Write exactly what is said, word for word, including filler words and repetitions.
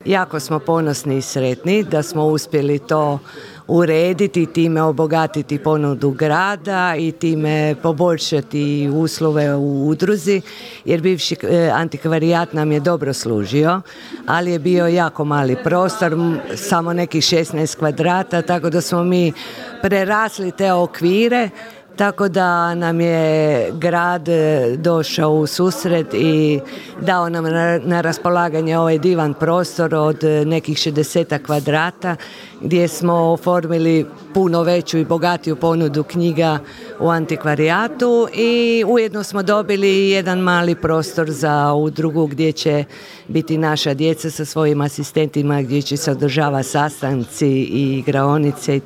Jako smo ponosni i sretni da smo uspjeli to urediti i time obogatiti ponudu grada i time poboljšati uslove u udruzi, jer bivši antikvarijat nam je dobro služio, ali je bio jako mali prostor, samo nekih šesnaest kvadrata, tako da smo mi prerasli te okvire. Tako da nam je grad došao u susret i dao nam na raspolaganje ovaj divan prostor od nekih šezdeset kvadrata gdje smo oformili puno veću i bogatiju ponudu knjiga u antikvarijatu i ujedno smo dobili jedan mali prostor za udrugu gdje će biti naša djeca sa svojim asistentima, gdje će se održavati sastanci i igraonice.